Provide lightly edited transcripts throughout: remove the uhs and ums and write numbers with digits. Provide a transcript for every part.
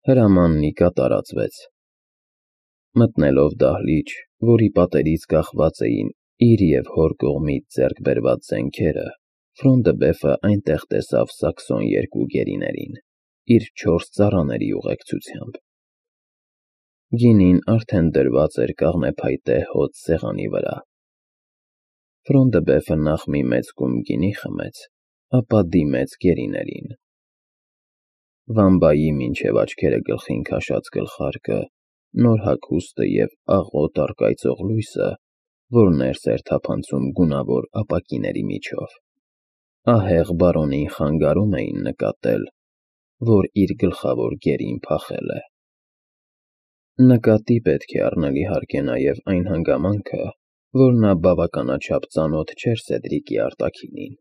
Հրամաննիկա տարածվեց։ Մտնելով դահլիճ, որի պատերից կախված էին իր և հոր կողմից ձեռք բերված զենքերը, Ֆրոնդըբեֆը այնտեղ տեսավ Սաքսոն երկու գերիներին, իր 4 ծառաների ուղեկցությամբ։ Գինին արդեն դրված էր կաղնեփայտե հոծ սեղանի վրա։ Ֆրոնդըբեֆը նախ մի մեծ կում գինի խմեց, ապա դիմեց գերիներին։ Վամբայի մինչև աչքերը գլխին քաշած գլխարկը, նոր հագուստը և աղոտ առկայծող լույսը, որ ներս էր թափանցում գունավոր ապակիների միջով, ահեղ բարոնին խանգարում էին նկատել, որ իր գլխավոր գերին փախել է։ Նկատի պետք է առնել իհարկե նաև այն հանգամանքը, որ նա բավականաչափ ծանոթ չէր Սեդրիկի արտաքինին,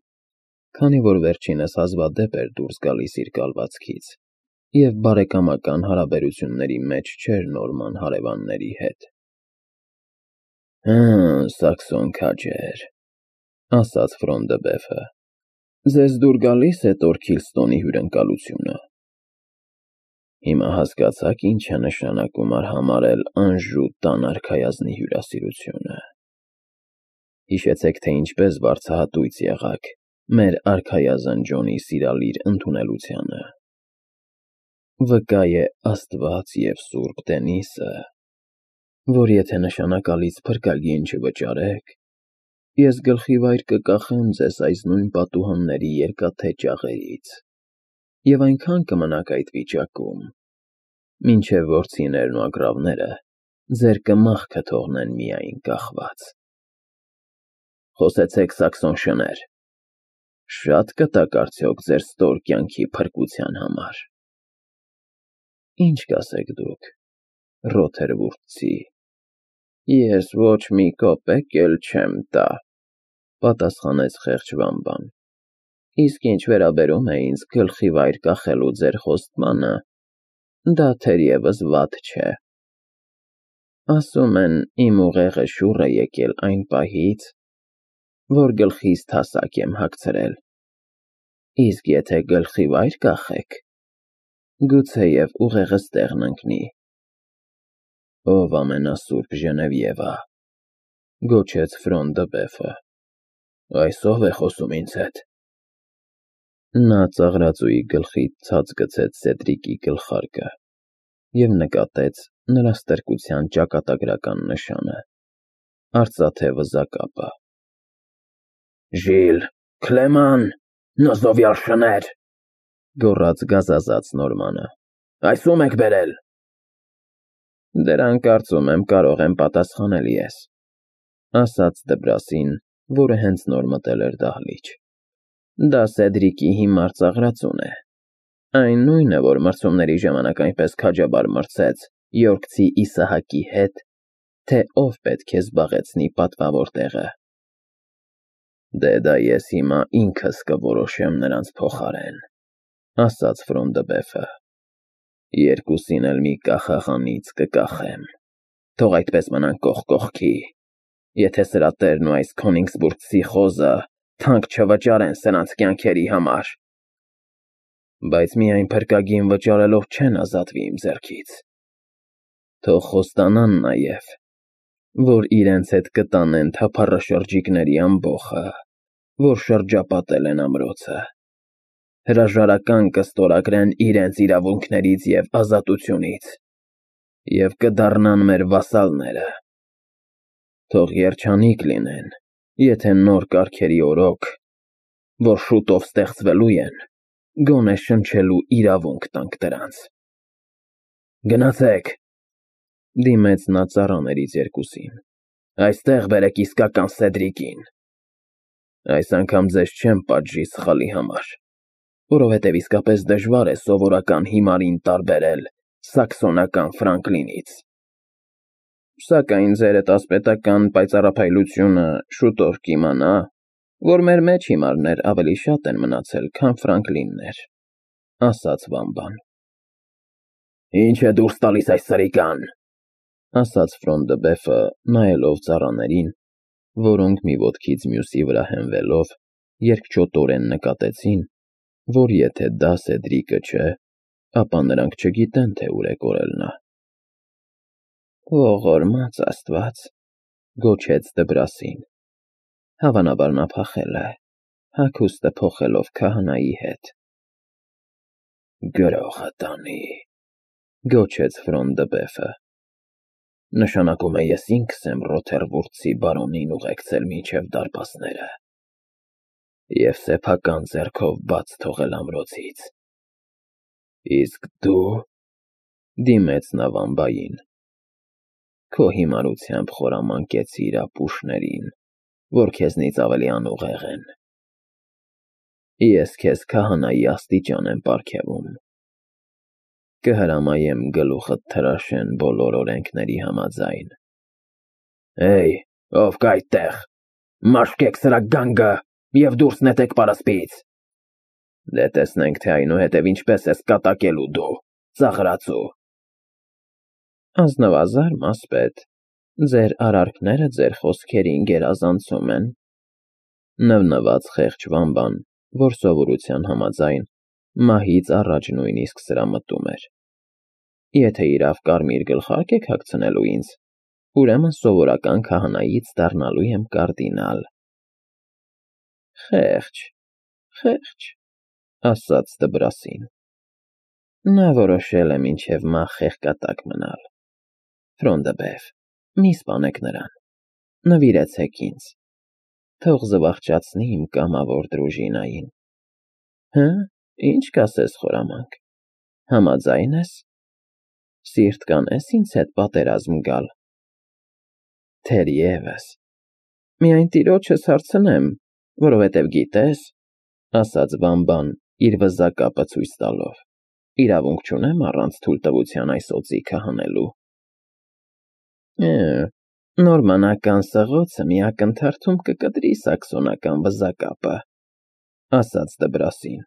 քանի որ վերջինս հազվադեպ էր դուրս գալիս իր կալվածքից և բարեկամական հարաբերությունների մեջ չէր Նորման հարևանների հետ։ Սաքսոն քաջեր, ասաց Ֆրոնդըբեֆը, ձեզ դուր գալի՞ս է Տորքիլստոնի հյուրընկալությունը։ Հիմա հասկացա՞ք ինչ է նշանակում արհամարհել Անժու տան արքայազնի հյուրասիրությունը։ Հիշեցեք, թե ինչպես վարձահատույց եղաք մեր արքայազն Ջոնի սիրալիր ընդունելությանը։ Վկա է Աստված և Սուրբ Դենիսը, որ եթե նշանակալից փրկագին չվճարեք, ես գլխիվայր կկախեմ ձեզ այս նույն պատուհանների երկաթե ճաղերից և այնքան կմնաք այդ վիճակում, մինչև որձիներն ու ագռավները ձեր կմախքը թողնեն միայն կախված։ Խոսեցեք, Սաքսոն շներ, շատ կտաք արդյոք ձեր ստոր կյանքի փրկության համար։ Ինչ կասեք դուք, Ռոթերվուրդցի։ Ես ոչ մի կոպեկ էլ չեմ տա, պատասխանեց խեղճ Վամբան, իսկ ինչ վերաբերում է ինձ գլխիվայր կախելու ձեր խոստմանը, դա թերևս վատ չէ։ Ասում են, իմ ուղեղը շուռ է եկել այն պահից, որ գլխիս թասակ եմ հագցրել, իսկ եթե գլխիվայր կախեք, գուցեև ուղեղս տեղն ընկնի։ Ով ամենասուրբ Ժնևիևա, գոչեց Ֆրոնդըբեֆը, այս ո՞վ է խոսում ինձ հետ։ Նա ծաղրածուի գլխից ցած գցեց Սեդրիկի գլխարկը և նկատեց նրա ստրկության ճակատագրական նշանը, արծաթե վզակապը։ Ժիլ, Քլեման, նզովյալ շներ, գոռաց գազազած Նորմանը, այս ո՞ւմ եք բերել։ Դրան կարծում եմ կարող եմ պատասխանել ես, ասաց Դբրասին, որը հենց նոր մտել էր դահլիճ։ Դա Սեդրիկի հիմար ծաղրածուն է։ Այն նույնը, որ մրցումների ժամանակ այնպես քաջաբար մրցեց Յորքցի Իսահակի հետ, թե ով պետք է զբաղեցնի պատվավոր տեղը։ Դե դա ես հիմա ինքս կորոշեմ նրանց փոխարեն, ասաց Ֆրոնդըբեֆը։ Երկուսին էլ մի կախաղանից կկախեմ, թող այդպես մնան կողք կողքի, եթե սրա տերն ու այս Քոնիգսբուրգցի խոզը թանկ չվճարեն սրանց կյանքերի համար։ Բայց միայն փրկագին վճարելով չեն ազատվի իմ ձեռքից։ Թող խոստանան նաև, որ իրենց հետ կտանեն թափառաշրջիկների ամբոխը, որ շրջապատել են ամրոցը, հրաժարական կստորագրեն իրենց իրավունքներից և ազատությունից և կդառնան մեր վասալները։ Թող երջանիկ լինեն, եթե նոր կարգերի օրոք, որ շուտով ստեղծվելու են, գոնե շնչելու իրավունք տանք դրանց։ Գնացեք, դիմեց նա ծառաներից երկուսին, այստեղ բերեք իսկական Սեդրիկին։ Այս անգամ ձեզ չեմ պատժի սխալի համար, որովհետև իսկապես դժվար է սովորական հիմարին տարբերել սաքսոնական Ֆրանկլինից։ Սակայն ձերդ ասպետական պայծառափայլությունը շուտով կիմանա, որ մեր մեջ հիմարներ ավելի շատ են մնացել, քան Ֆրանկլիններ, ասաց Վամբան։ Ինչ է դուրս տալիս այս սրիկան, ասաց Ֆրոնդըբեֆը, նայելով ծառաներին, որոնք մի ոտքից մյուսի վրա հենվելով, երկչոտորեն նկատեցին, որ եթե դա Սեդրիկը չէ, ապա նրանք չգիտեն, թե ուր է կորել նա։ Ողորմած Աստված, գոչեց Դբրասին։ Հավանաբար նա փախել է, հագուստը փոխելով քահանայի հետ։ Գրողը տանի, գոչեց Ֆրոնդբեֆը։ Նշանակում է ես ինքս եմ Ռոթերվուրդցի բարոնին ուղեկցել մինչև դարպասները և սեփական ձեռքով բաց թողել ամրոցից։ Իսկ դու, դիմեց նա վամբային, քո հիմարությամբ խորամանկեցիր ապուշներին, որ քեզնից ավելի անուղեղ են։ Ես քեզ քահանայի աստիճան եմ պարգևում։ Կհրամայեմ գլուխդ թրաշեն բոլոր օրենքների համաձայն։ Էй, ով կա այդտեղ, մաշկեք սրա գանգը և դուրս նետեք պարսպից։ Դե տեսնենք, թե այնուհետև ինչպես ես կատակելու դու, ծաղրածու։ Ազնվազար մասպետ, ձեր արարքները ձեր խոսքերին գերազանցում են, նվնված խեղճ վամբան, որ սովորության համաձայն մահից առաջ նույնիսկ սրամտում էր։ Եթե իրավ կարմիր գլխարկ եք հագցնելու ինձ, ուրեմն սովորական քահանայից դառնալու եմ կարդինալ։ Խեղճ, ասաց Դբրասին։ Նա որոշել է մինչև մահ խեղկատակ մնալ։ Ֆրոնդբեֆ, մի սպանեք նրան, նվիրեցեք ինձ, թող զվարճացնի իմ կամավոր դրուժինային։ Հը, ինչ կասես խորամանկ, համաձայն ես։ Սիրտ կանես ինձ հետ պատերազմ գալ։ Թերևս, միայն տիրոջս հարցնեմ, որովհետև գիտես, ասաց վամբան իր վզակապը ցույց տալով, իրավունք չունեմ առանց թույլտվության այս օձիքը հանելու։ Նորմանական սղոցը մի ակնթարթում կկտրի սաքսոնական վզակապը, ասաց Դբրասին։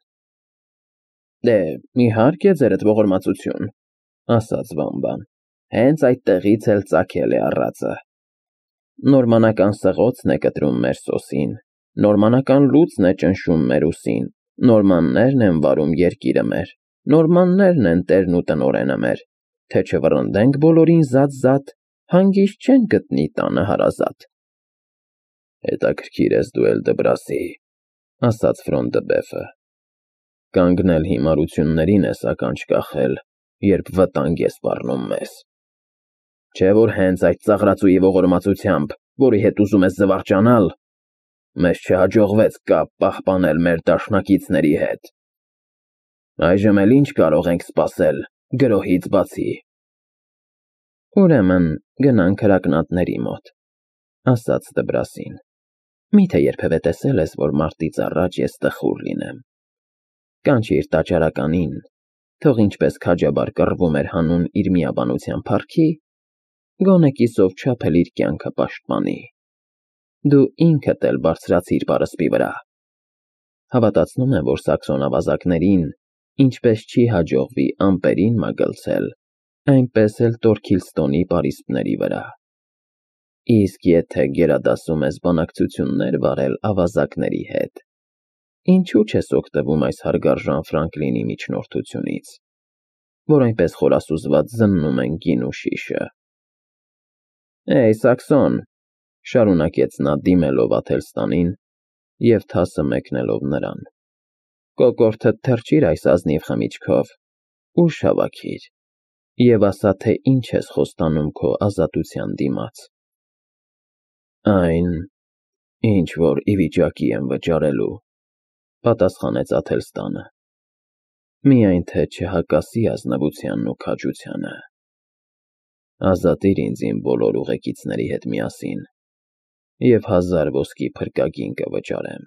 Դե, իհարկե, ձերդ ողորմածություն, ասաց վամբան, հենց այդտեղից էլ ծագել է առածը։ Նորմանական սղոցն է կտրում մեր սոսին, նորմանական լուծն է ճնշում մեր ուսին, նորմաններն են վարում երկիրը մեր, նորմաններն են տերն ու տնօրենը մեր, թե չվռնդենք բոլորին զատ, հանգիստ չեն գտնի տանը հարազատ։ Հետաքրքիր ես դու էլ, Դբրասի, ասաց Ֆրոնդբեֆը։ Կանգնել հիմարություններին ես ականջ կախել, երբ վտանգ է սպառնում մեզ։ Չէ՞ որ հենց այդ ծաղրածուի ողորմածությամբ, որի հետ ուզում ես զվարճանալ, մեզ չհաջողվեց կապ պահպանել մեր դաշնակիցների հետ։ Այժմ էլ ինչ կարող ենք սպասել գրոհից բացի։ Ուրեմն գնանք հրակնատների մոտ, ասաց Դբրասին։ Միթե երբևէ տեսել ես, որ մարտից առաջ ես տխուր լինեմ։ Կանչիր տաճարականին, թող ինչպես քաջաբար կռվում էր հանուն իր միաբանության փառքի, գոնե կիսով չափ էլ իր կյանքը պաշտպանի։ Դու ինքդ էլ բարձրացիր պարսպի վրա։ Հավատացնում եմ, որ սաքսոն ավազակներին, ինչպես չի հաջողվի ամպերին մագլցել, այնպես էլ Տորքիլստոնի պարիսպների վրա։ Իսկ եթե գերադասում ես բանակցություններ վարել ավազակների հետ, ինչու չես օգտվում այս հարգարժան Ֆրանկլինի միջնորդությունից, որ այնպես խորասուզված զննում են գին ու շիշը։ Էй, Սաքսոն, շարունակեց նա դիմելով Աթելստանին և թասը մեկնելով նրան, կոկորդդ թրջիր այս ազնիվ խմիչքով, ուժ հավաքիր և ասա, թե ինչ ես խոստանում քո ազատության դիմաց։ Այն, ինչ որ ի վիճակի եմ վճարելու, պատասխանեց Աթելստանը, միայն թե չհակասի ազնվությանն ու քաջությանը։ Ազատիր ինձ իմ բոլոր ուղեկիցների հետ միասին և 1000 ոսկի փրկագին կվճարեմ։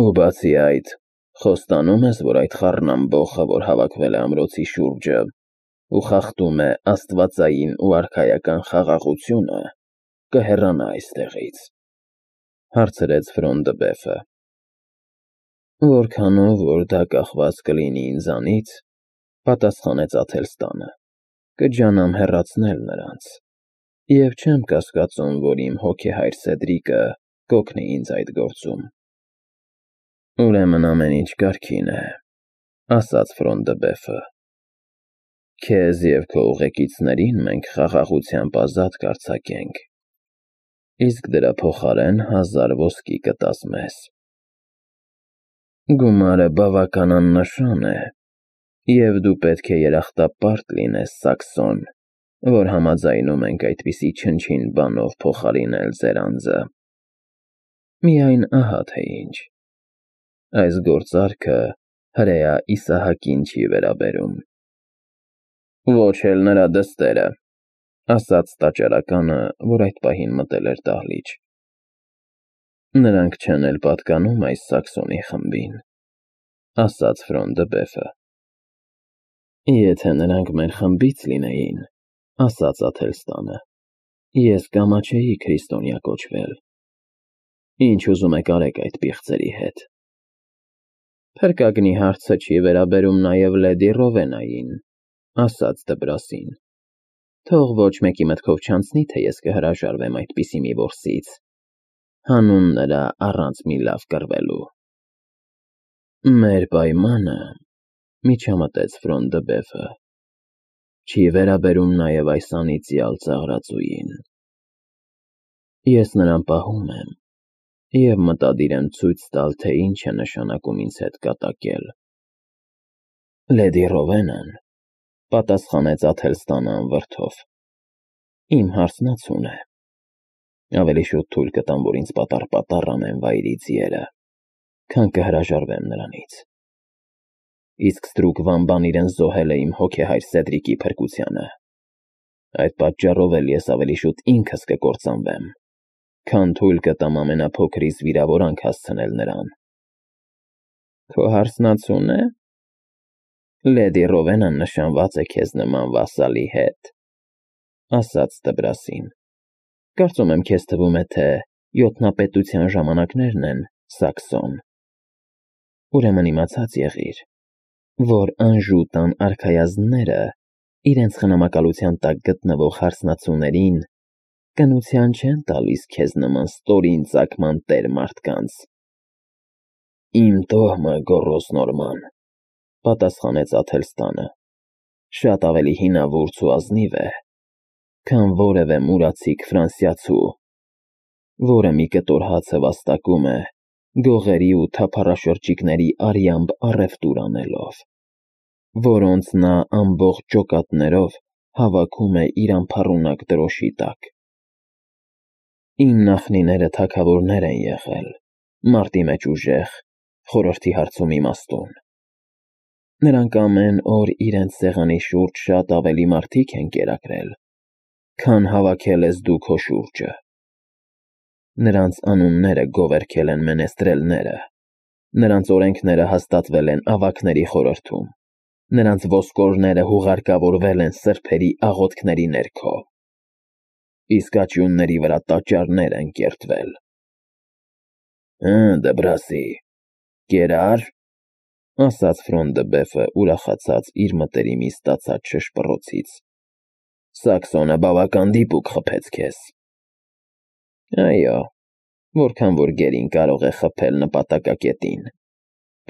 Ու բացի այդ, խոստանում ես, որ այդ խառնամբոխը, որ հավաքվել է ամրոցի շուրջը ու խախտում է աստվածային ու արքայական խաղաղությունը, կհեռանա այստեղից, հարցրեց Ֆրոնդբեֆը։ Որքանով որ դա կախված կլինի ինձանից, պատասխանեց Աթելստանը, կջանամ հեռացնել նրանց, և չեմ կասկածում, որ իմ հոգեհայր Սեդրիկը կօգնի ինձ այդ գործում։ Ուրեմն ամեն ինչ կարգին է, ասաց Ֆրոնդբեֆը։ Քեզ և քո ուղեկիցներին մենք խաղաղությամբ ազատ կարձակենք, իսկ դրա փոխարեն 1000 ոսկի կտաս մեզ։ Գումարը բավական աննշան է, և դու պետք է երախտապարտ լինես, Սաքսոն, որ համաձայնում ենք այդպիսի չնչին բանով փոխարինել ձեր անձը։ Միայն ահա թե ինչ. այս գործարքը հրեա Իսահակին չի վերաբերում։ Ոչ էլ նրա դստերը, ասաց տաճարականը, որ այդ պահին մտել էր դահլիճ։ Նրանք չեն էլ պատկանում այս Սաքսոնի խմբին, ասաց Ֆրոնդբեֆը։ Եթե նրանք մեր խմբից լինեին, ասաց Աթելստանը, ես կամաչեի քրիստոնյա կոչվել։ Ինչ ուզում եք արեք այդ պիղծերի հետ։ Փրկագնի հարցը չի վերաբերում նաև լեդի Ռովենային, ասաց Դբրասին։ Թող ոչ մեկի մտքով չանցնի, թե ես կհրաժարվեմ այդպիսի մի որսից, հանուն նրա առանց մի լավ կռվելու։ Մեր պայմանը, միջամտեց Ֆրոնդբեֆը, չի վերաբերում նաև այս անիծյալ ծաղրածուին։ Ես նրան պահում եմ և մտադիր եմ ցույց տալ, թե ինչ է նշանակում ինձ հետ կատակել։ Լեդի Ռովենան, պատասխանեց Աթելստանը անվրդով, իմ հարսնացուն է։ Ավելի շուտ թույլ կտամ, որ ինձ պատառ անեն վայրի ձիերը, քան կհրաժարվեմ նրանից։ Իսկ ստրուկ Վամբան իրեն զոհել է իմ հոգեհայր Սեդրիկի փրկությանը։ Այդ պատճառով էլ ես ավելի շուտ ինքս կկործանվեմ, քան թույլ կտամ ամենափոքրիս վիրավորանք հասցնել նրան։ Քո հարսնացու՞ն է։ Լեդի Ռովենան նշանված է քեզ նման վասալի հետ, ասաց Դբրասին։ Կարծում եմ քեզ թվում է, թե յոթնապետության ժամանակներն են, Սաքսոն։ Ուրեմն իմացած եղիր, որ Անժու տան արքայազնները իրենց խնամակալության տակ գտնվող հարսնացուներին կնության չեն տալիս քեզ նման ստորին ծագման տեր մարդկանց։ Իմ տոհմը, գոռոզ Նորման, պատասխանեց Աթելստանը, շատ ավելի հինավուրց ու ազնիվ է, քան որևէ մուրացիկ ֆրանսիացու, որը մի կտոր հացը վաստակում է գողերի ու թափառաշրջիկների արյամբ առևտուր անելով, որոնց նա ամբողջ ջոկատներով հավաքում է իր անփառունակ դրոշի տակ։ Իմ նախնիները թագավորներ են եղել, մարտի մեջ ուժեղ, խորհրդի հարցում իմաստուն։ Նրանք ամեն օր իրենց սեղանի շուրջ շատ ավելի մարդիկ են կերակրել, քան հավաքել ես դու քո շուրջը։ Նրանց անունները գովերգել են մենեստրելները, նրանց օրենքները հաստատվել են ավագների խորհրդում, նրանց ոսկորները հուղարկավորվել են սրբերի աղոթքների ներքո, իսկ աճյունների վրա տաճարներ են կերտվել։ Դբրասի, կերա՞ր, ասաց Ֆրոնդբեֆը, ուրախացած իր մտերիմի ստացած շշպռոցից։ Սաքսոնը բավական դիպուկ խփեց քեզ։ Այո, որքան որ գերին կարող է խփել նպատակակետին,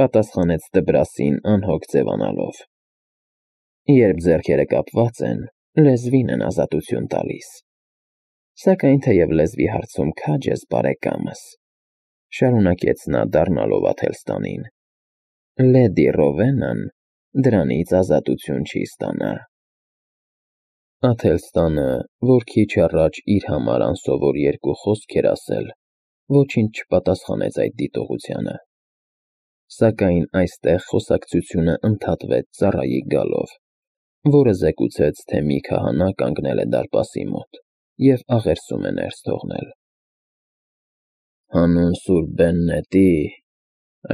պատասխանեց Դբրասին անհոգ ձևանալով։ Երբ ձեռքերը կապված են, լեզվին են ազատություն տալիս։ Սակայն թեև լեզվի հարցում քաջ ես, բարեկամս, շարունակեց նա դառնալով Աթելստանին, Լեդի Ռովենան դրանից ազատություն չի ստանա։ Աթելստանը, որ քիչ առաջ իր համար անսովոր երկու խոսք էր ասել, ոչինչ չպատասխանեց այդ դիտողությանը։ Սակայն այստեղ խոսակցությունը ընդհատվեց ծառայի գալով, որը զեկուցեց, թե մի քահանա կանգնել է դարպասի մոտ և աղերսում է ներս թողնել։ Հանուն Սուրբ Բեննետի,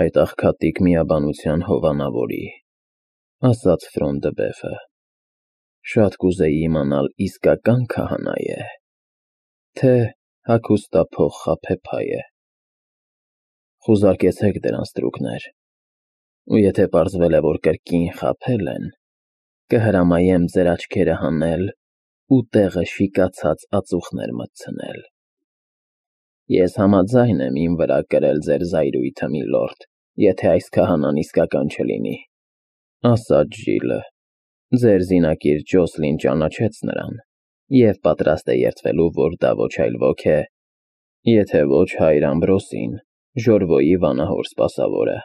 այդ աղքատիկ միաբանության հովանավորի, ասաց Ֆրոնդբեֆը, շատ կուզեի իմանալ իսկական քահանա է, թե հագուստափող խաբեբայ է։ Խուզարկեցեք դրան, ստրուկներ, ու եթե պարզվել է, որ կրկին խաբել են, կհրամայեմ ձեր աչքերը հանել ու տեղը շիկացած ածուխներ մտցնել։ Ես համաձայն եմ իմ վրա կրել ձեր զայրույթը, միլորդ, եթե այս քահանան իսկական չլինի։ ասաց Ժիլը։ Ձեր զինակիր Ջոսլին ճանաչեց նրան և պատրաստ է երդվելու, որ դա ոչ այլ ոք է, եթե ոչ հայր Ամբրոսին, Ժորվոյի վանահոր սպասավորը։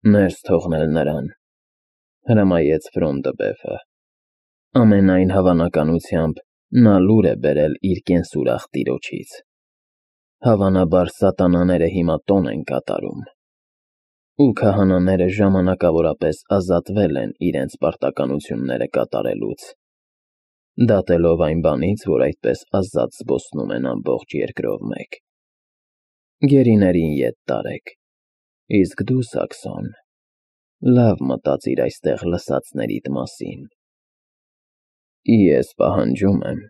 Ներս թողնել նրան, հրամայեց Ֆրոն դը Բեֆը։ Ամենայն հավանականությամբ նա լուր է բերել իր կենսուրախ տիրոջից։ Հավանաբար սատանաները հիմա տոն են կատարում, ու քահանաները ժամանակավորապես ազատվել են իրենց պարտականությունները կատարելուց, դատելով այն բանից, որ այդպես ազատ զբոսնում են ամբողջ երկրով մեկ։ Գերիներին ետ տարեք, իսկ դու, Սաքսոն, լավ մտածիր այստեղ լսածներիդ մասին։ Ես պահանջում եմ,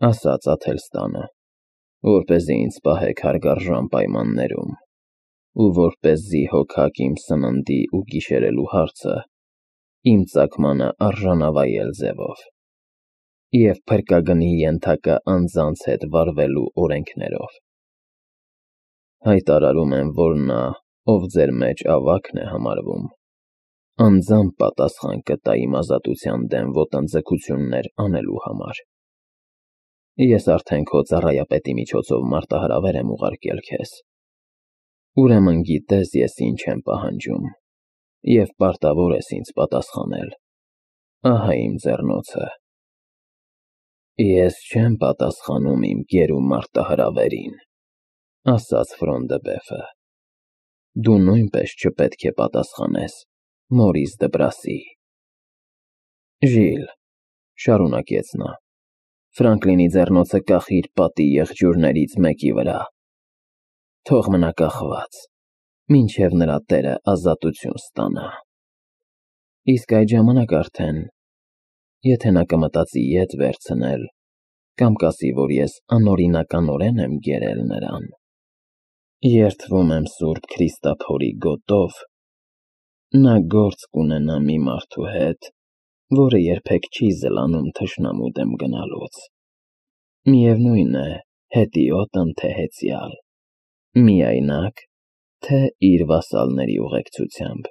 ասաց Աթելստանը, որպեսզի ինձ պահեք հարգարժան պայմաններում, ու որպեսզի հոգաք իմ սննդի ու գիշերելու հարցը իմ ծագմանը արժանավայել ձևով և փրկագնի ենթակա անձանց հետ վարվելու օրենքներով։ Հայտարարում եմ, որ նա, ով ձեր մեջ ավագն է համարվում, անձամբ պատասխան կտա իմ ազատության դեմ ոտնձգություններ անելու համար։ Ես արդեն քո ծառայապետի միջոցով մարտահրավեր եմ ուղարկել քեզ, ուրեմն գիտես ես ինչ եմ պահանջում, և պարտավոր ես ինձ պատասխանել։ Ահա իմ ձեռնոցը։ Ես չեմ պատասխանում իմ գերու մարտահրավերին, ասաց Ֆրոն դը Բեֆը։ Դու նույնպես չպետք է պատասխանես Մորիս Դբրասի։ Ժիլ, շարունակեց նա, Ֆրանկլինի ձեռնոցը կախիր պատի եղջյուրներից մեկի վրա, թող մնա կախված, մինչև նրա տերը ազատություն ստանա։ Իսկ այդ ժամանակ արդեն, եթե նա կմտածի ետ վերցնել, կամ կասի, որ ես անօրինականորեն եմ գերել նրան, երդվում եմ Սուրբ Քրիստափորի գոտով, նա գործ կունենա մի մարդու հետ, որը երբեք չի զլանում թշնամու դեմ գնալուց, միևնույն է, հետիոտ ընթեհեցյալ, միայնակ, թե իր վասալների ուղեկցությամբ։